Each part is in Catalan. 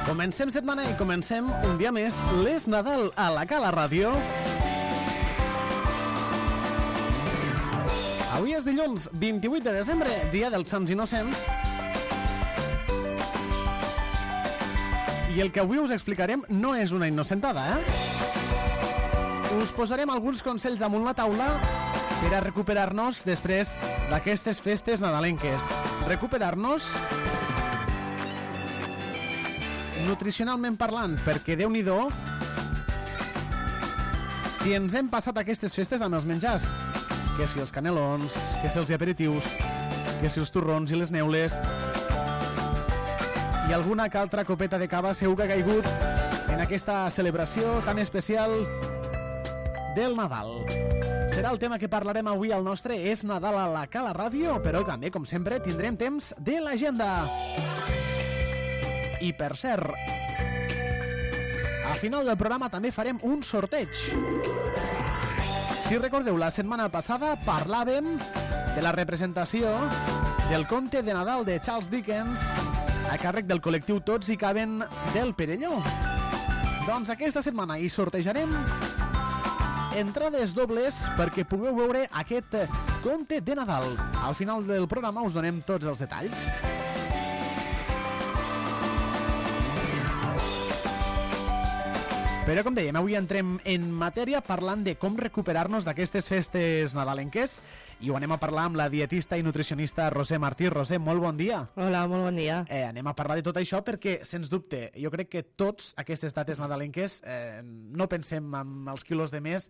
Comencem setmana i comencem un dia més l'És Nadal a la Cala Ràdio. Avui és dilluns 28 de desembre, dia dels Sants Innocents. I el que avui us explicarem no és una innocentada, Us posarem alguns consells damunt la taula per a recuperar-nos després d'aquestes festes nadalenques. Recuperar-nos nutricionalment parlant, perquè Déu-n'hi-do si ens hem passat aquestes festes amb els menjars, que si els canelons, que si els aperitius, que si els torrons i les neules i alguna que altra copeta de cava segur que ha caigut en aquesta celebració tan especial del Nadal. Serà el tema que parlarem avui al nostre És Nadal a la Cala Ràdio, però també, com sempre, tindrem temps de l'agenda. I per cert, al final del programa també farem un sorteig. Si recordeu, la setmana passada parlàvem de la representació del conte de Nadal de Charles Dickens a càrrec del col·lectiu Tots hi caben del Perelló. Doncs aquesta setmana hi sortejarem entrades dobles perquè pugueu veure aquest conte de Nadal. Al final del programa us donem tots els detalls. Però, com dèiem, avui entrem en matèria parlant de com recuperar-nos d'aquestes festes nadalenques i ho anem a parlar amb la dietista i nutricionista Roser Martí. Roser, molt bon dia. Hola, molt bon dia. Anem a parlar de tot això perquè, sens dubte, jo crec que tots aquestes dates nadalenques no pensem en els quilos de més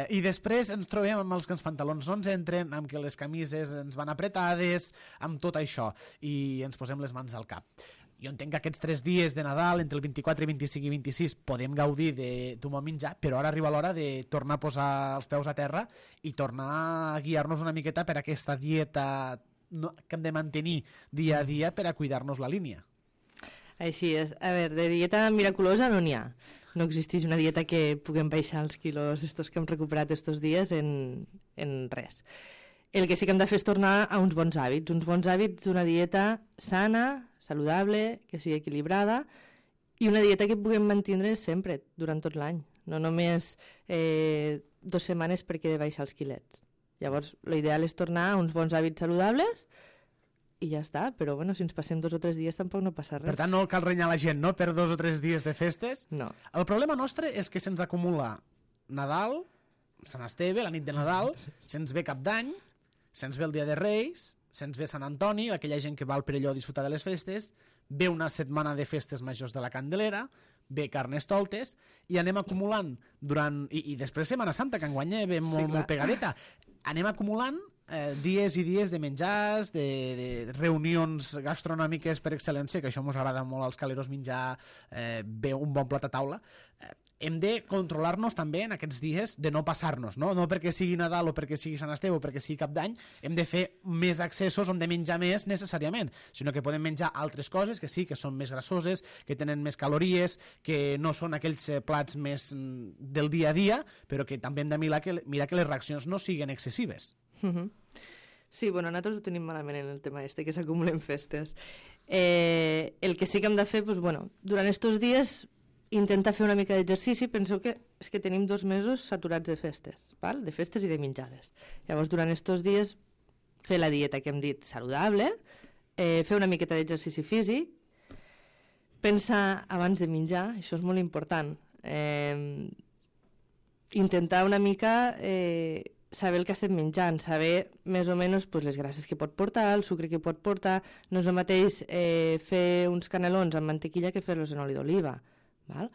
i després ens trobem amb els que els pantalons no ens entren, amb que les camises ens van apretades, amb tot això, i ens posem les mans al cap. Jo entenc que aquests 3 dies de Nadal, entre el 24, 25 i 26, podem gaudir d'un bon menjar, però ara arriba l'hora de tornar a posar els peus a terra i tornar a guiar-nos una miqueta per aquesta dieta que hem de mantenir dia a dia per a cuidar-nos la línia. Així és. A veure, de dieta miraculosa no n'hi ha. No existeix una dieta que puguem baixar els quilos estos que hem recuperat estos dies en res. El que sí que hem de fer és tornar a uns bons hàbits d'una dieta sana, saludable, que sigui equilibrada i una dieta que puguem mantenir sempre, durant tot l'any, no només 2 setmanes perquè he de baixar els quilets. Llavors, l'ideal és tornar a uns bons hàbits saludables i ja està, però bueno, si ens passem 2 o 3 dies tampoc no passa res. Per tant, no cal renyar la gent, no?, per 2 o 3 dies de festes. No. El problema nostre és que se'ns acumula Nadal, Sant Esteve, la nit de Nadal, se'ns ve Cap d'Any, se'ns ve el Dia de Reis, se'ns ve Sant Antoni, aquella gent que va al Perelló a disfrutar de les festes, ve una setmana de festes majors de la Candelera, ve Carnestoltes, i anem acumulant durant... I després Setmana Santa, que enguany ve molt pegadeta. Anem acumulant dies i dies de menjars, de reunions gastronòmiques per excel·lència, que això ens agrada molt als caleros menjar bé un bon plat a taula. Hem de controlar-nos també en aquests dies de no passar-nos, no perquè sigui Nadal o perquè sigui Sant Esteve o perquè sigui Cap d'Any, hem de fer més accessos on de menjar més necessàriament, sinó que podem menjar altres coses que sí, que són més grassoses, que tenen més calories, que no són aquells plats més del dia a dia, però que també hem de mirar que les reaccions no siguin excessives. Sí, bueno, nosaltres ho tenim malament en el tema que s'acumulen festes. El que sí que hem de fer, doncs, bueno, durant estos dies intentar fer una mica d'exercici. Penseu que és que tenim 2 mesos saturats de festes, val? De festes i de menjades. Llavors, durant estos dies, fer la dieta que hem dit saludable, fer una miqueta d'exercici físic, pensar abans de menjar, això és molt important. Intentar una mica saber el que estem menjant, saber més o menys les grasses que pot portar, el sucre que pot portar. No és el mateix fer uns canelons amb mantequilla que fer-los en oli d'oliva. Val?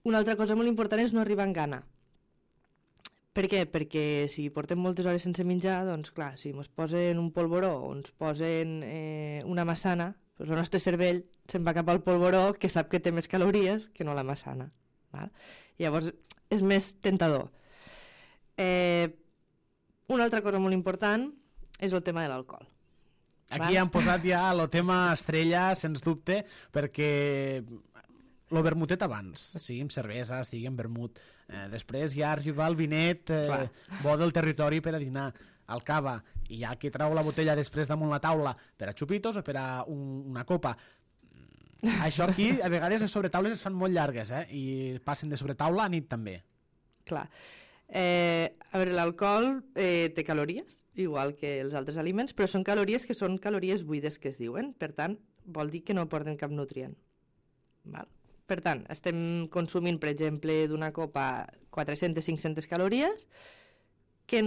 Una altra cosa molt important és no arribar en gana. Per què? Perquè si portem moltes hores sense menjar, doncs clar, si ens posen un polvoró o ens posen una massana, doncs el nostre cervell se'n va cap al polvoró, que sap que té més calories que no la massana. Val? Llavors és més tentador. Una altra cosa molt important és el tema de l'alcohol. Aquí han posat ja el tema estrella, sens dubte, perquè lo vermutet abans, sigui amb cervesa, sigui amb vermut. Després ja arriba el vinet bo del territori per a dinar, al cava, i ja que trau la botella després damunt la taula per a xupitos o per a una copa. Això aquí, a vegades, les sobretaules es fan molt llargues, i passen de sobretaula a nit també. Clar. A veure, l'alcohol té calories, igual que els altres aliments, però són calories que són calories buides que es diuen. Per tant, vol dir que no porten cap nutrient. Val? Per tant, estem consumint, per exemple, d'una copa 400-500 calories que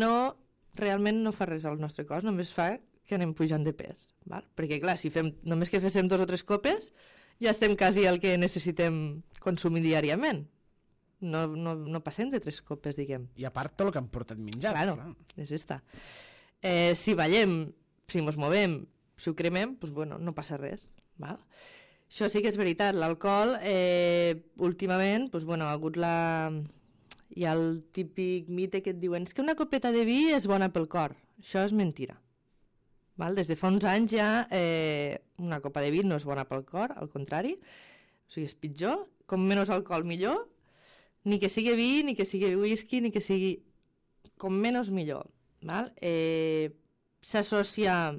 realment no fa res al nostre cos, només fa que anem pujant de pes. Val? Perquè, clar, si només que féssim 2 o 3 copes, ja estem quasi al que necessitem consumir diàriament. No passem de 3 copes, diguem. I a part tot el que hem portat menjat. Claro, és esta. Si ballem, si ens movem, si ho cremem, doncs, bueno, no passa res. Val? Això sí que és veritat. L'alcohol, últimament, doncs, bueno, ha hagut hi ha el típic mite que et diuen és que una copeta de vi és bona pel cor. Això és mentira. Val? Des de fa uns anys ja una copa de vi no és bona pel cor, al contrari. O sigui, és pitjor. Com menys alcohol, millor. Ni que sigui vi, ni que sigui whisky, ni que sigui... Com menys, millor. Val? S'associa...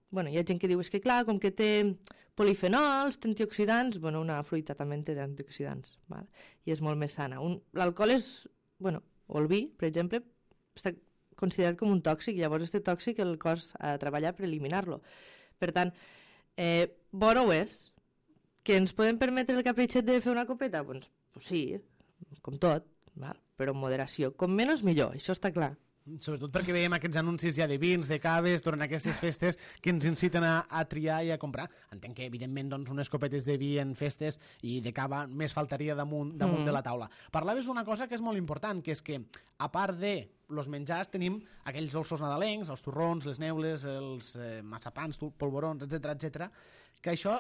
Bueno, hi ha gent que diu, és que clar, com que té polifenols, té antioxidants... Bueno, una fruita també té antioxidants, val? I és molt més sana. L'alcohol és... Bueno, o el vi, per exemple, està considerat com un tòxic, llavors este tòxic el cos ha de treballar per eliminar-lo. Per tant, bo no ho és. Que ens podem permetre el capritxet de fer una copeta? Doncs sí, com tot, val? Però amb moderació. Com menys millor, això està clar. Sobretot perquè veiem aquests anuncis ja de vins, de caves, durant aquestes festes que ens inciten a triar i a comprar. Entenc que, evidentment, doncs, unes copetes de vi en festes i de cava més faltaria damunt de la taula. Parlaves d'una cosa que és molt important, que és que, a part de los menjars, tenim aquells dolços nadalencs, els torrons, les neules, els massapans, polvorons, etc, que això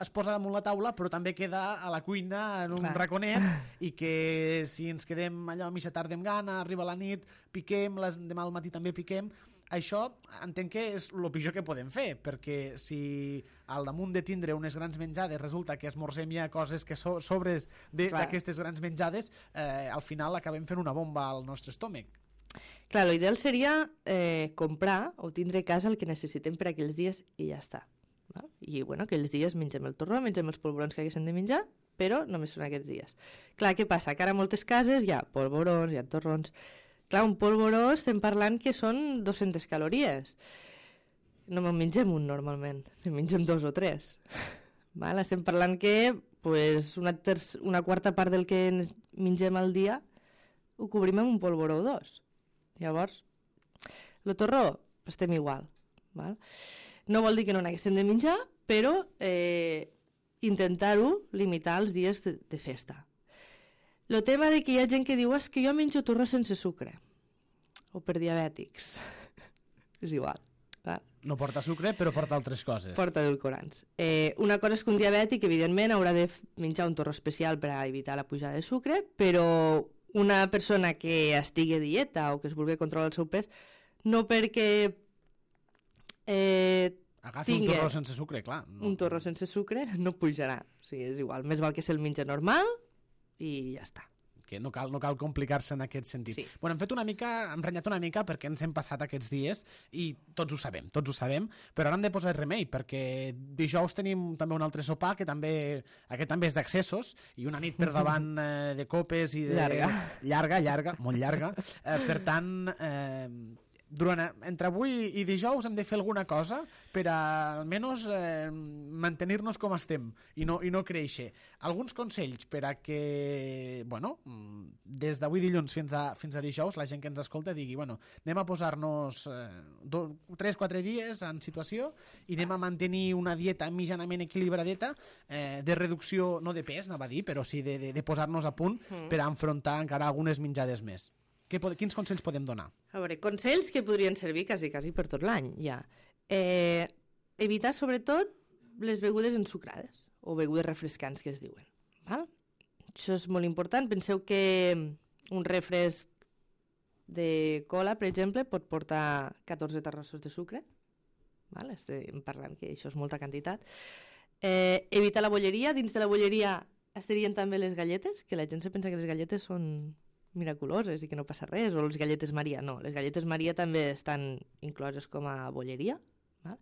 es posa damunt la taula, però també queda a la cuina en un raconet, i que si ens quedem allò a mitja tarda amb gana, arriba la nit, piquem, demà al matí també piquem. Això entenc que és el pitjor que podem fer, perquè si al damunt de tindre unes grans menjades resulta que esmorzem ja coses que sobres d'aquestes grans menjades, al final acabem fent una bomba al nostre estómac. Clar, l'ideal seria comprar o tindre a casa el que necessitem per aquells dies i ja està. I bueno, aquells dies mengem el torró, mengem els polvorons que haguessin de menjar, però només són aquests dies. Clar, què passa? Que ara a moltes cases hi ha polvorons, hi ha torrons. Clar, un polvoró estem parlant que són 200 calories. No me'n mengem un normalment, me'n mengem 2 o 3. Val? Estem parlant que pues, una quarta part del que mengem al dia ho cobrim amb un polvoró o 2. Llavors, el torró estem igual. Val? No vol dir que no n'haguéssim de menjar, però intentar-ho limitar els dies de festa. El tema de que hi ha gent que diu que jo menjo torró sense sucre, o per diabètics. És igual. No porta sucre, però porta altres coses. Porta edulcorants. Una cosa és que un diabètic, evidentment, haurà de menjar un torró especial per a evitar la pujada de sucre, però una persona que estigui a dieta o que es vulgui controlar el seu pes, no perquè agafi un torró sense sucre, clar. Un torró sense sucre no pujarà. O sigui, és igual. Més val que se'l menja normal i ja està. Que no cal complicar-se en aquest sentit. Sí. Bueno, hem renyat una mica perquè ens hem passat aquests dies i tots ho sabem, però ara hem de posar remei perquè dijous tenim també un altre sopar que aquest també és d'accessos i una nit per davant de copes i de... Llarga, molt llarga. Per tant, entre avui i dijous hem de fer alguna cosa per almenys mantenir-nos com estem i no créixer. Alguns consells per a que, bueno, des d'avui dilluns fins a dijous la gent que ens escolta digui, bueno, anem a posar-nos 3-4 dies en situació i anem a mantenir una dieta mitjanament equilibradeta de reducció, no de pes, anava a dir, però sí de posar-nos a punt per a enfrontar encara algunes menjades més. Quins consells podem donar? A veure, consells que podrien servir quasi per tot l'any, ja. Evitar, sobretot, les begudes ensucrades o begudes refrescants, que es diuen. Val? Això és molt important. Penseu que un refresc de cola, per exemple, pot portar 14 terrossos de sucre. Val? Estem parlant que això és molta quantitat. Evitar la bolleria. Dins de la bolleria estarien també les galletes, que la gent se pensa que les galletes són miraculoses i que no passa res, o les galletes Maria. No, les galletes Maria també estan incloses com a bolleria. Val?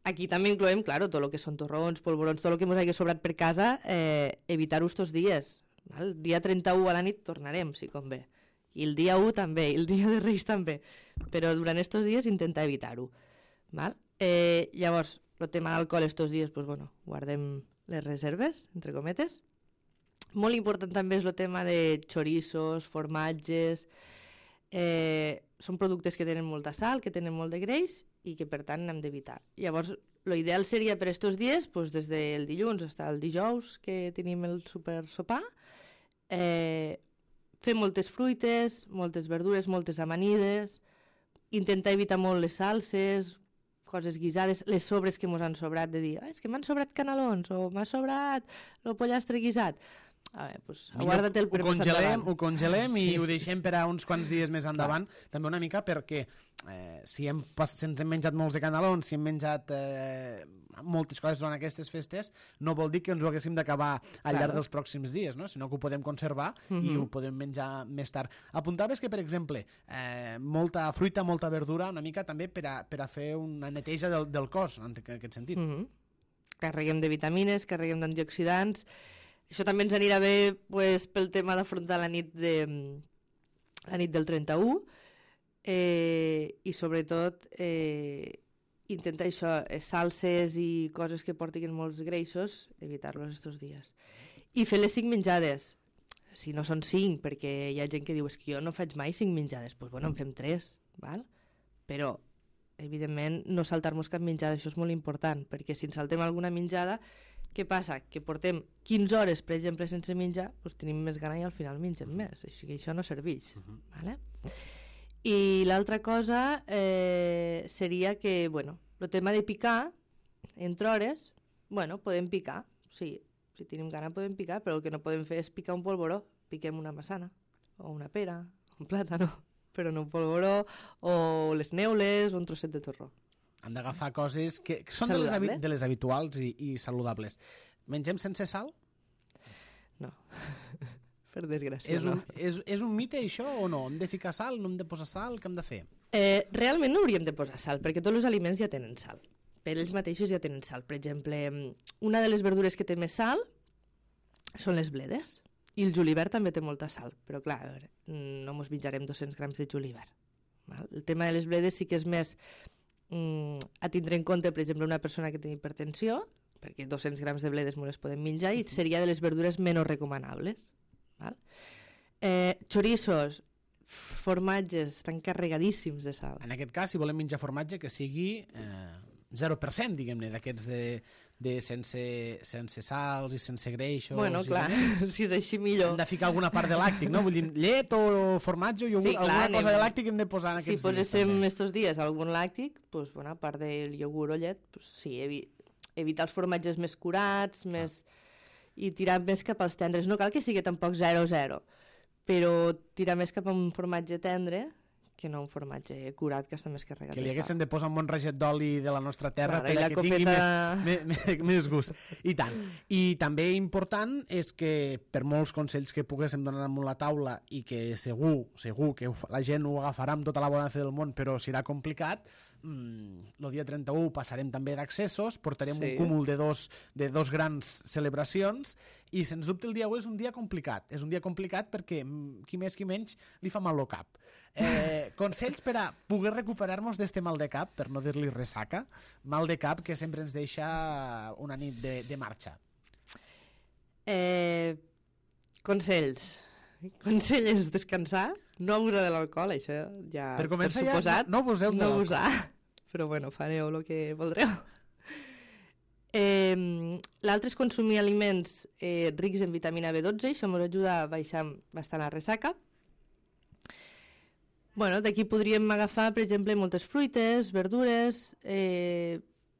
Aquí també incloem, claro, tot el que són torrons, polvorons, tot el que ens hagi sobrat per casa, evitar-ho estos dies. Val? El dia 31 a la nit tornarem, si convé. I el dia 1 també, i el dia de Reis també. Però durant estos dies intentar evitar-ho. Llavors, el tema d'alcohol estos dies, pues, bueno, guardem les reserves, entre cometes. Molt important també és el tema de chorizos, formatges. Són productes que tenen molta sal, que tenen molt de greix i que per tant hem d'evitar. Llavors, l'ideal seria per estos dies, pues, des del dilluns fins al dijous que tenim el super sopar, fer moltes fruites, moltes verdures, moltes amanides, intentar evitar molt les salses, coses guisades, les sobres que ens han sobrat, de dir, és que m'han sobrat canelons o m'ha sobrat el pollastre guisat. A veure, doncs, guarda-te'l per més endavant. Ho congelem i ho deixem per a uns quants dies més endavant, també una mica perquè si ens hem menjat molts de canelons, si hem menjat moltes coses durant aquestes festes, no vol dir que ens ho haguéssim d'acabar al llarg dels pròxims dies, no? Sinó que ho podem conservar i ho podem menjar més tard. Apuntaves que, per exemple, molta fruita, molta verdura, una mica també per a fer una neteja del cos, en aquest sentit. Carreguem de vitamines, carreguem d'antioxidants. Això també ens anirà bé, pues, pel tema d'afrontar la nit del 31 i sobretot intentar això, salses i coses que portin molts greixos, evitar-los estos dies. I fer les 5 menjades. Si no són 5, perquè hi ha gent que diu que jo no faig mai 5 menjades, doncs bueno, en fem 3, val? Però evidentment no saltar-nos cap menjada, això és molt important, perquè si ens saltem alguna menjada, què passa? Que portem 15 hores, per exemple, sense menjar, doncs tenim més gana i al final mengem més. Així que això no serveix. Vale? I l'altra cosa seria que, bueno, el tema de picar, entre hores, bueno, podem picar. Sí, si tenim gana podem picar, però el que no podem fer és picar un polvoró. Piquem una massana, o una pera, un plàtano, però no un polvoró, o les neules, o un trosset de torró. Hem d'agafar coses que són de les habituals i saludables. Mengem sense sal? No, per desgràcia no. És un mite això o no? Hem de ficar sal, no hem de posar sal? Què hem de fer? Realment no hauríem de posar sal, perquè tots els aliments ja tenen sal. Per ells mateixos ja tenen sal. Per exemple, una de les verdures que té més sal són les bledes. I el julivert també té molta sal. Però clar, a veure, no ens menjarem 200 grams de julivert. El tema de les bledes sí que és més a tindre en compte, per exemple, una persona que té hipertensió, perquè 200 grams de bledes no les podem menjar i seria de les verdures menys recomanables. Val? Chorizos, formatges, estan carregadíssims de sal. En aquest cas, si volem menjar formatge, que sigui 0%, diguem-ne, d'aquests de sense sals i sense greixos. Bueno, clar, si és així millor. Hem de ficar alguna part de làctic, no? Vull dir, llet o formatge o iogurt, alguna cosa de làctic hem de posar en aquests dies. Si poséssim estos dies algun làctic, doncs, bueno, a part del iogurt o llet, doncs, sí, evitar els formatges més curats, i tirar més cap als tendres. No cal que sigui tampoc 0-0, però tirar més cap a un formatge tendre que no un formatge curat que està més carregat de sal. Que li haguéssim de posar un bon raget d'oli de la nostra terra per que tingui més gust. I tant. I també important és que per molts consells que poguéssim donar damunt la taula i que segur que la gent ho agafarà amb tota la bona fe del món, però serà complicat, el dia 31 passarem també d'accessos, portarem un cúmul de dos grans celebracions i sens dubte el dia 1 és un dia complicat. És un dia complicat perquè qui més qui menys li fa mal el cap. Consells per a poder recuperar-nos d'este mal de cap, per no dir-li ressaca, mal de cap que sempre ens deixa una nit de marxa. Consells. Consell és descansar, no abusar de l'alcohol, això ja per començar ja no abuseu de l'alcohol. Però bueno, fareu el que voldreu. L'altre és consumir aliments rics en vitamina B12, això ens ajuda a baixar bastant la ressaca. Bueno, d'aquí podríem agafar, per exemple, moltes fruites, verdures,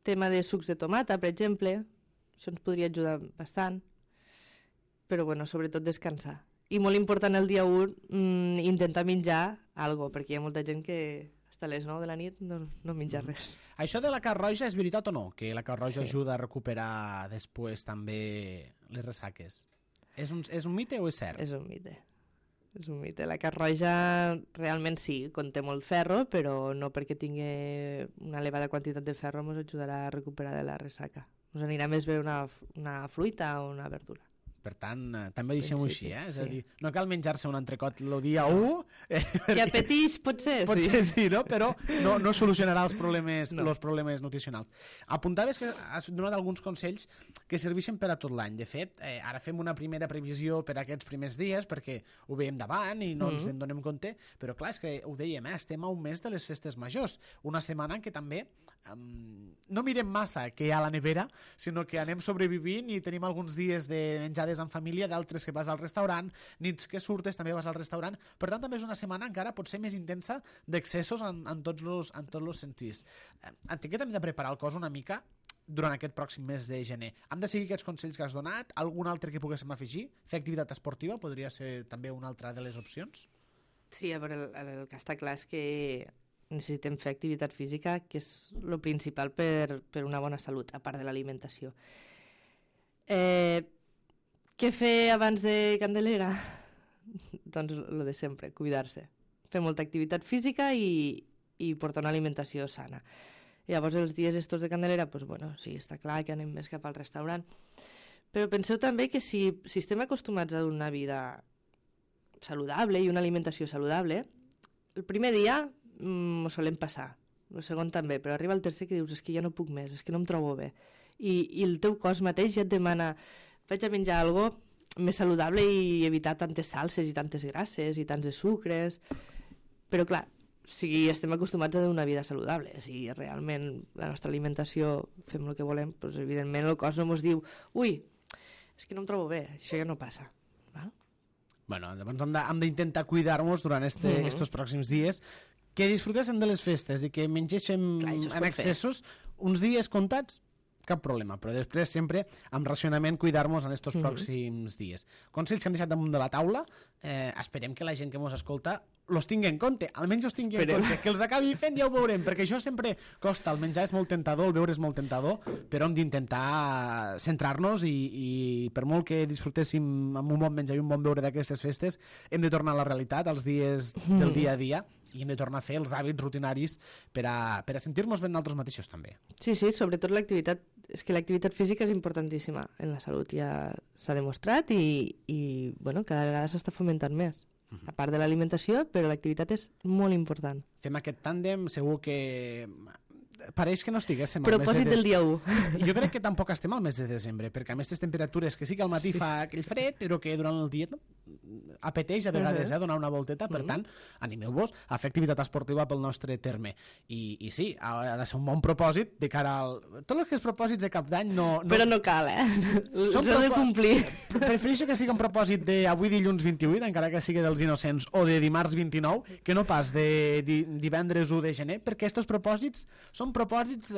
tema de sucs de tomata, per exemple, això ens podria ajudar bastant, però bueno, sobretot descansar. I molt important el dia 1 intentar menjar alguna cosa, perquè hi ha molta gent que hasta les 9 de la nit no menja res. Això de la carn roja és veritat o no? Que la carn roja ajuda a recuperar després també les ressaques? És un mite o és cert? És un mite. És un mite. La carn roja realment sí, conté molt ferro, però no perquè tingui una elevada quantitat de ferro ens ajudarà a recuperar de la ressaca. Ens anirà més bé una fruita o una verdura. Per tant, també deixem-ho així, És a sí. dir, no cal menjar-se un entrecot el dia 1... Que apeteix, potser, Potser sí, no? Però no solucionarà els problemes nutricionals. Apuntaves que has donat alguns consells que serveixen per a tot l'any. De fet, ara fem una primera previsió per a aquests primers dies, perquè ho veiem davant i no ens en donem compte, però clar, és que ho dèiem, estem a un mes de les festes majors, una setmana en què també no mirem massa què hi ha a la nevera, sinó que anem sobrevivint i tenim alguns dies de menjades en família, d'altres que vas al restaurant, nits que surtes també vas al restaurant, per tant també és una setmana encara potser més intensa d'excessos en tots els sentits. Entenc que hem de preparar el cos una mica durant aquest pròxim mes de gener. Hem de seguir aquests consells que has donat? Algun altre que poguéssim afegir? Fer activitat esportiva podria ser també una altra de les opcions? Sí, a veure, el que està clar és que necessitem fer activitat física, que és el principal per una bona salut, a part de l'alimentació. Què fer abans de Candelera? Doncs el de sempre, cuidar-se. Fer molta activitat física i portar una alimentació sana. Llavors, els dies estos de Candelera, doncs, bueno, sí, està clar que anem més cap al restaurant. Però penseu també que si estem acostumats a una vida saludable i una alimentació saludable, el primer dia ho solem passar, el segon també, però arriba el tercer que dius, és que ja no puc més, és que no em trobo bé. I el teu cos mateix ja et demana, vaig a menjar alguna cosa més saludable i evitar tantes salses i tantes grasses i tants de sucres. Però clar, si estem acostumats a una vida saludable, si realment la nostra alimentació fem el que volem, doncs evidentment el cos no ens diu, ui, és que no em trobo bé, això ja no passa. Val? Bueno, llavors hem d'intentar cuidar-nos durant estos pròxims dies, que disfrutéssim de les festes i que mengéssim en excessos uns dies comptats, cap problema, però després sempre amb racionament cuidar-nos en estos pròxims dies. Consells que han deixat damunt de la taula, esperem que la gent que ens escolta los tingui en compte, almenys els tingui en compte, que els acabi fent ja ho veurem, perquè això sempre costa, el menjar és molt tentador, el beure és molt tentador, però hem d'intentar centrar-nos i per molt que disfrutéssim amb un bon menjar i un bon beure d'aquestes festes, hem de tornar a la realitat, als dies del dia a dia, i hem de tornar a fer els hàbits rutinaris per a sentir-nos ben nosaltres mateixos també. Sí, sobretot l'activitat, és que l'activitat física és importantíssima en la salut, ja s'ha demostrat i bueno, cada vegada s'està fomentant més. A part de l'alimentació, però l'activitat és molt important. Fem aquest tàndem, segur que pareix que no estiguéssim al mes de propòsit del dia 1. Jo crec que tampoc estem al mes de desembre, perquè amb aquestes temperatures que sí que al matí fa aquell fred, però que durant el dia apeteix a vegades donar una volteta, per tant, animeu-vos a fer activitat esportiva pel nostre terme. I sí, ha de ser un bon propòsit de cara al... Tot el que és propòsits de cap d'any no... Però no cal, els heu de complir. Prefereixo que sigui un propòsit d'avui dilluns 28, encara que sigui dels innocents, o de dimarts 29, que no pas de divendres 1 de gener, perquè aquests propòsits són propòsits...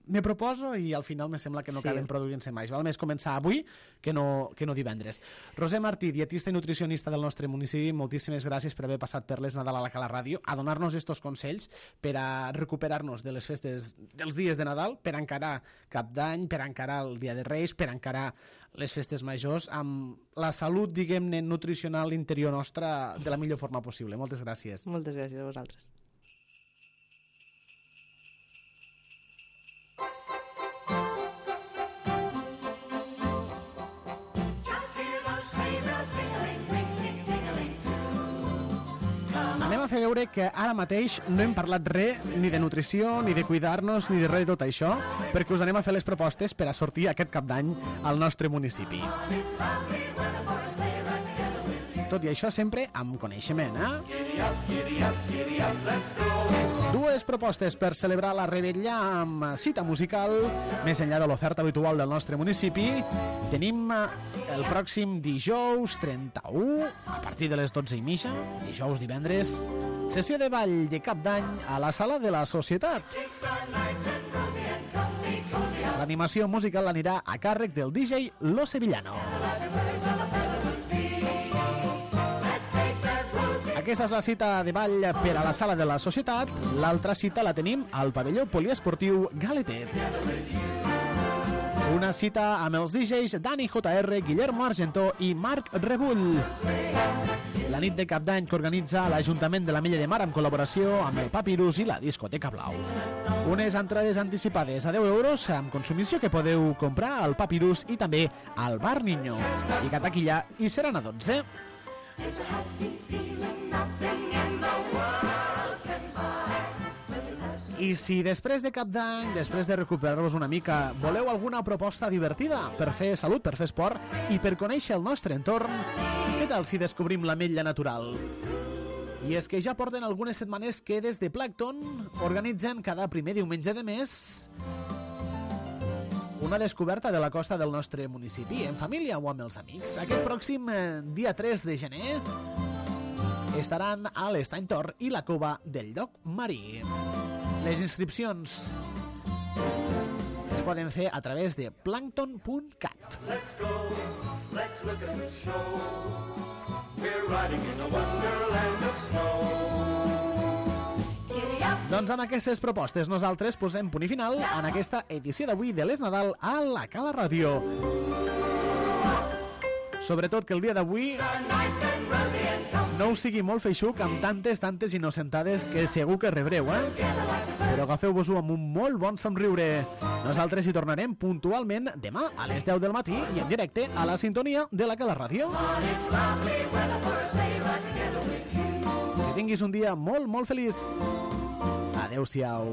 Me proposo i al final me sembla que no acaben produint-se mai. Val més començar avui que no divendres. Roser Martí, dietista i nutricionista del nostre municipi, moltíssimes gràcies per haver passat per les Nadal a la Cala Ràdio, a donar-nos estos consells per a recuperar-nos de les festes dels dies de Nadal, per encarar Cap d'Any, per encarar el Dia de Reis, per encarar les festes majors amb la salut, diguem-ne, nutricional interior nostra de la millor forma possible. Moltes gràcies. Moltes gràcies a vosaltres. Anem a fer veure que ara mateix no hem parlat res ni de nutrició, ni de cuidar-nos, ni de res de tot això, perquè us anem a fer les propostes per a sortir aquest cap d'any al nostre municipi. Tot i això sempre amb coneixement, Dues propostes per celebrar la Revetlla amb cita musical, més enllà de l'oferta habitual del nostre municipi. Tenim el pròxim dijous 31, a partir de les 12:30, dijous, divendres, sessió de ball de cap d'any a la Sala de la Societat. L'animació musical anirà a càrrec del DJ Lo Sevillano. Aquesta és la cita de ball per a la Sala de la Societat. L'altra cita la tenim al pavelló poliesportiu Galetet. Una cita amb els DJs Dani JR, Guillermo Argentó i Marc Rebull. La nit de Cap d'Any que organitza l'Ajuntament de l'Ametlla de Mar en col·laboració amb el Papirus i la Discoteca Blau. Unes entrades anticipades a 10 euros amb consumició que podeu comprar al Papirus i també al Bar Niño. I que taquilla hi seran a 12. I si després de Cap d'Any, després de recuperar-vos una mica, voleu alguna proposta divertida per fer salut, per fer esport i per conèixer el nostre entorn, què tal si descobrim l'Ametlla Natural? I és que ja porten algunes setmanes que des de Plankton organitzen cada primer diumenge de mes una descoberta de la costa del nostre municipi, en família o amb els amics. Aquest pròxim dia 3 de gener estaran a l'Estany Tor i la Cova del Lloc Marí. Les inscripcions es poden fer a través de plankton.cat. Let's go, let's look at the show. We're riding in a wonderland of snow. Doncs amb aquestes propostes nosaltres posem punt i final en aquesta edició d'avui de l'Es Nadal a la Cala Ràdio. Sobretot que el dia d'avui no us sigui molt feixuc amb tantes innocentades que segur que rebreu, Però agafeu-vos-ho amb un molt bon somriure. Nosaltres hi tornarem puntualment demà a les 10 del matí i en directe a la sintonia de la Cala Ràdio. Que tinguis un dia molt feliç. Adéu-siau.